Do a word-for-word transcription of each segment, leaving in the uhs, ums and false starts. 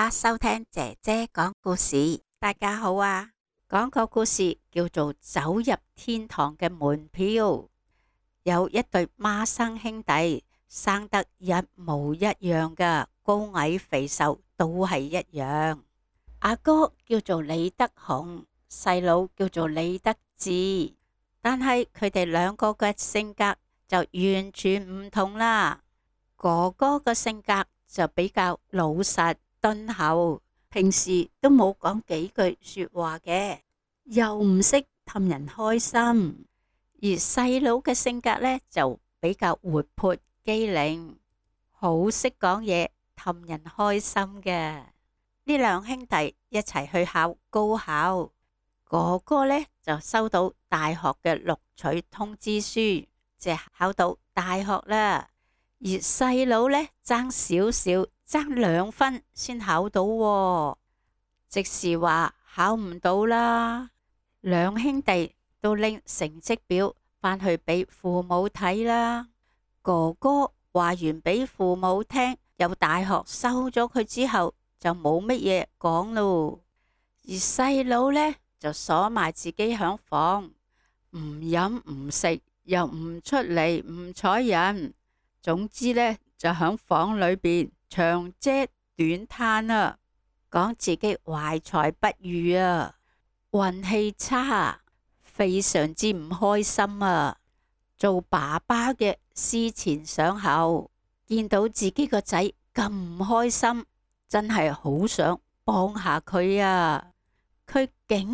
家收聽姐姐講故事。大家好啊，講個故事叫做走入天堂嘅門票。有一對孖生兄弟，生得一模一樣噶，高矮肥瘦都係一樣。阿哥叫做李德雄，細佬叫做李德志，但係佢哋兩個嘅性格就完全唔同啦。哥哥嘅性格就比較老實敦厚，平時都冇講幾句說話嘅，又唔識氹人開心。而細佬嘅性格呢，就比較活潑機靈，好識講嘢氹人開心嘅。呢兩兄弟一齊去考高考，哥哥呢就收到大學嘅錄取通知書，即係考到大學啦。而細佬呢，爭少少，爭兩分先考到喎，即是話考唔到啦。兩兄弟都拎成績表返去俾父母睇啦。哥哥話完俾父母聽，有大學收咗佢之後，就冇乜嘢講咯。而細佬呢，就鎖埋自己響房，唔飲唔食，又唔出嚟唔睬人。總之呢，就響房裏邊長嗟短嘆啊，講自己懷才不遇啊，運氣差，非常之唔開心啊。做爸爸嘅思前想後，見到自己個仔咁唔開心，真係好想幫下佢啊。佢竟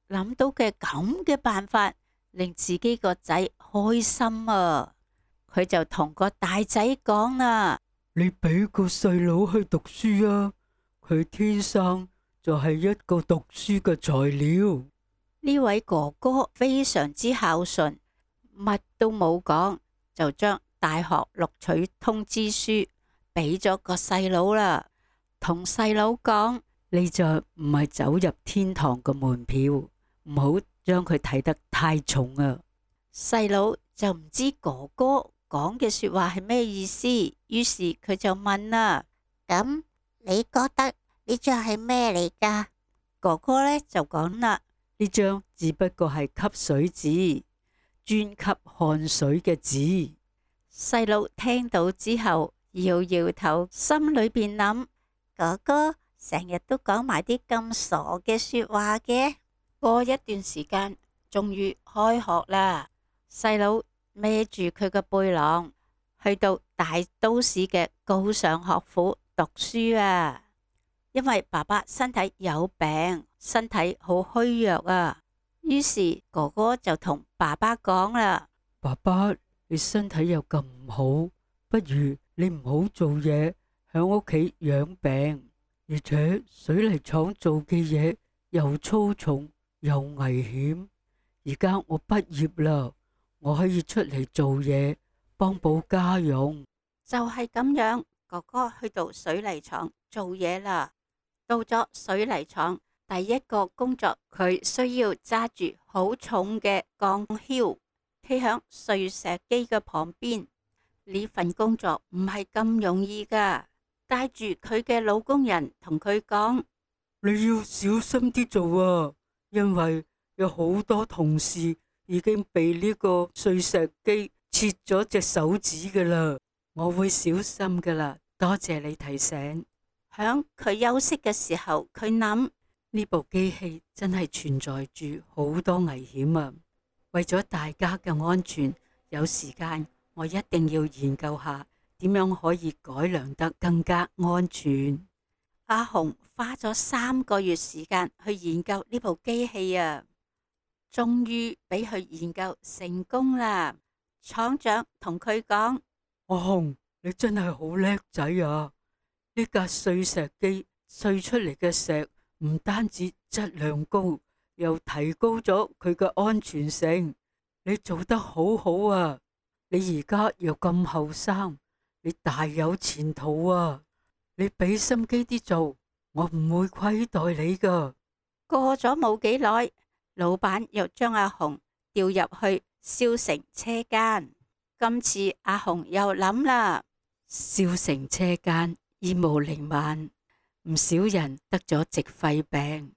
然諗到嘅咁嘅辦法，令自己個仔開心啊。佢就同個大仔講啦：你俾個細佬去讀書啊，佢天生就係一個讀書嘅材料。呢位哥哥非常之孝順，乜都冇講，就將大學錄取通知書俾咗個細佬啦，同細佬講：你就唔係走入天堂嘅門票，唔好將佢睇得太重啊。細佬就唔知哥哥講嘅說話係咩意思，於是佢就問啦：咁你覺得呢張係咩嚟噶？哥哥呢就講啦：呢張只不過係吸水紙，專吸汗水嘅紙。細佬聽到之後搖搖頭，心裏邊諗：哥哥成日都講埋啲咁傻嘅說話嘅。過一段時間，終於開學啦，細佬孭住佢個背囊，去到大都市嘅高尚學府讀書啊。因為爸爸身體有病，身體好虛弱啊，於是哥哥就同爸爸講啦：爸爸，你身體又咁唔好，不如你唔好做嘢，響屋企養病。而且水泥廠做嘅嘢又粗重又危險。而家我畢業啦，我可以出嚟做嘢，幫補家用。就係咁樣，哥哥去到水泥廠做嘢啦。到咗水泥廠，第一個工作，佢需要揸住好重嘅鋼橇，企響碎石機嘅旁邊。呢份工作唔係咁容易噶。帶住佢嘅老工人同佢講：你要小心啲做啊，因為有好多同事已經被呢個碎石機切咗隻手指噶啦。我會小心噶啦，多謝你提醒。響佢休息嘅時候，佢諗，呢部機器真係存在住好多危險啊！為咗大家嘅安全，有時間我一定要研究下點樣可以改良得更加安全。阿雄花咗三個月時間去研究呢部機器啊，終於俾佢研究成功啦。廠長同佢講：阿雄，你真係好叻仔啊！呢架碎石機碎出嚟嘅石唔單止質量高，又提高咗佢嘅安全性。你做得好好啊！你而家又咁後生，你大有前途啊！你俾心機啲做，我唔會虧待你噶。過咗冇幾耐，老闆又將阿雄調入去燒成車間。今次阿雄又諗啦，燒成車間，煙霧瀰漫，唔少人得咗矽肺病，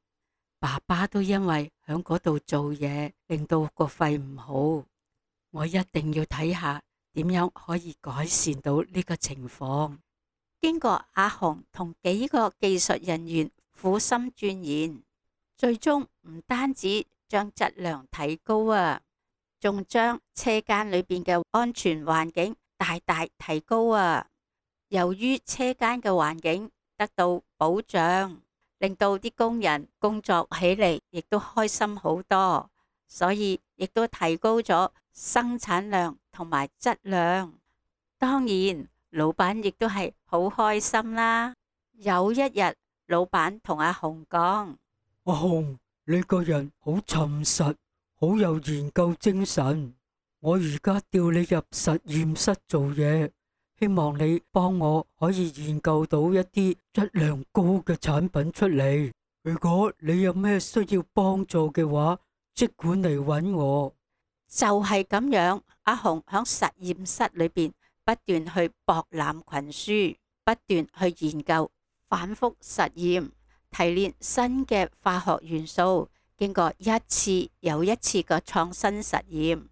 爸爸都因為響嗰度做嘢，令到個肺唔好。我一定要睇下點樣可以改善到呢個情況。經過阿雄同幾個技術人員苦心鑽研，最終唔單止將質量提高啊，仲將車間裏邊嘅安全環境大大提高啊。由於車間嘅環境得到保障，令到啲工人工作起嚟亦都開心好多，所以亦都提高咗生產量同埋質量。當然，老闆亦都係好開心啦。有一日，老闆同阿雄講：阿雄，你個人好沉實，好有研究精神。我而家調你入實驗室做嘢，希望你幫我可以研究到一啲質量高嘅產品出嚟。如果你有咩需要幫助嘅話，即管嚟搵我。就係咁樣，阿雄響實驗室裏邊不斷去博覽群書，不斷去研究，反覆實驗，提煉新嘅化學元素，經過一次又一次嘅創新實驗，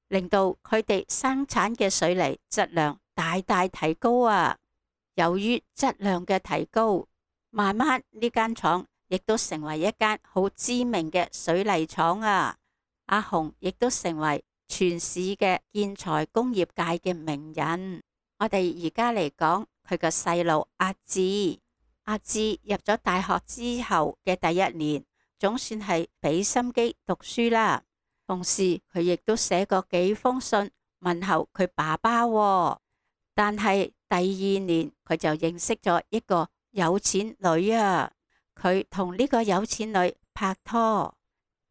令到佢哋生產嘅水泥質量大大提高啊！由於質量嘅提高，慢慢呢間廠亦都成為一間好知名嘅水泥廠啊！阿雄亦都成為全市嘅建材工業界嘅名人。我哋而家嚟講佢個細路阿志，阿志入咗大學之後嘅第一年，總算係俾心機讀書啦。同時佢亦都寫過幾封信問候佢爸爸喎。但係第二年佢就認識咗一個有錢女啊，佢同呢個有錢女拍拖。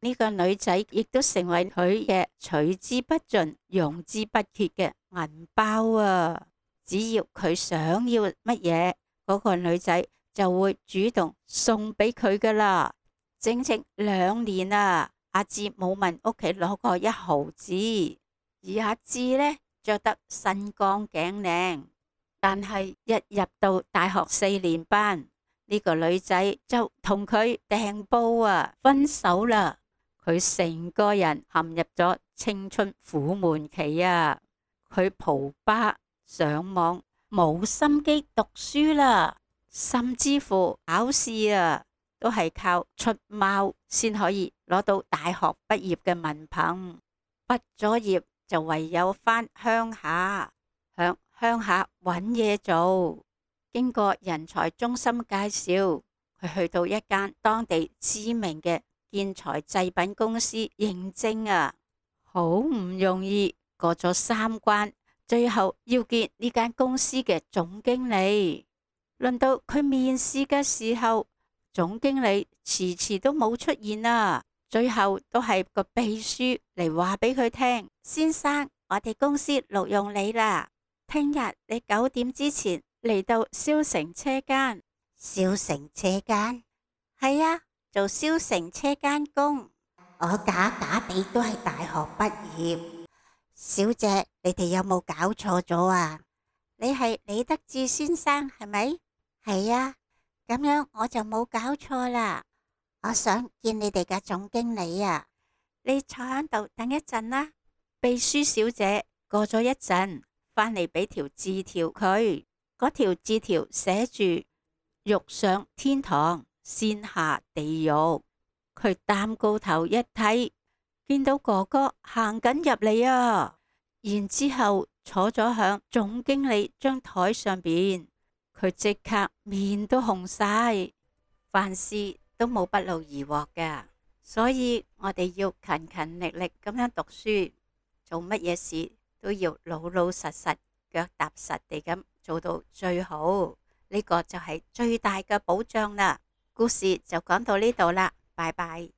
呢個女仔亦都成為佢嘅取之不盡、用之不竭嘅銀包啊！只要佢想要乜嘢，嗰個女仔就會主動送俾佢噶啦。整整兩年啊，阿志冇問屋企攞過一毫子，而阿志呢，着得身光頸靚，但係一入到大學四年班，呢個女仔就同佢掟煲啊，分手啦。佢成個人陷入咗青春苦悶期啊！佢蒲吧上網，冇心機讀書啦，甚至乎考試啊，都係靠出貓先可以攞到大學畢業嘅文憑。畢咗業就唯有返鄉下，響鄉下揾嘢做。經過人才中心介紹，佢去到一間當地知名嘅建材製品公司應徵啊，好唔容易過咗三關，最後要見呢間公司嘅總經理。輪到佢面試嘅時候，總經理遲遲都冇出現啊，最後都係個秘書嚟話俾佢聽：先生，我哋公司錄用你啦，聽日你九點之前嚟到燒成車間。燒成車間？係啊，做燒成車間工。我假假地都係大學畢業。小姐，你哋有冇搞錯咗啊？你係李德志先生係咪？係啊，咁樣我就冇搞錯啦。我想見你哋嘅總經理啊。你坐喺度等一陣啦。秘書小姐過咗一陣，返嚟俾條字條佢。嗰條字條寫住：欲上天堂，先下地獄。佢擔高頭一睇，見到哥哥行緊入嚟啊，然之後坐咗響總經理張台上邊，佢即刻面都紅晒。凡事都冇不勞而獲㗎，所以我哋要勤勤力力咁樣讀書，做乜嘢事都要老老實實、腳踏實地咁做到最好，呢個就係最大嘅保障啦。故事就講到呢度啦，拜拜。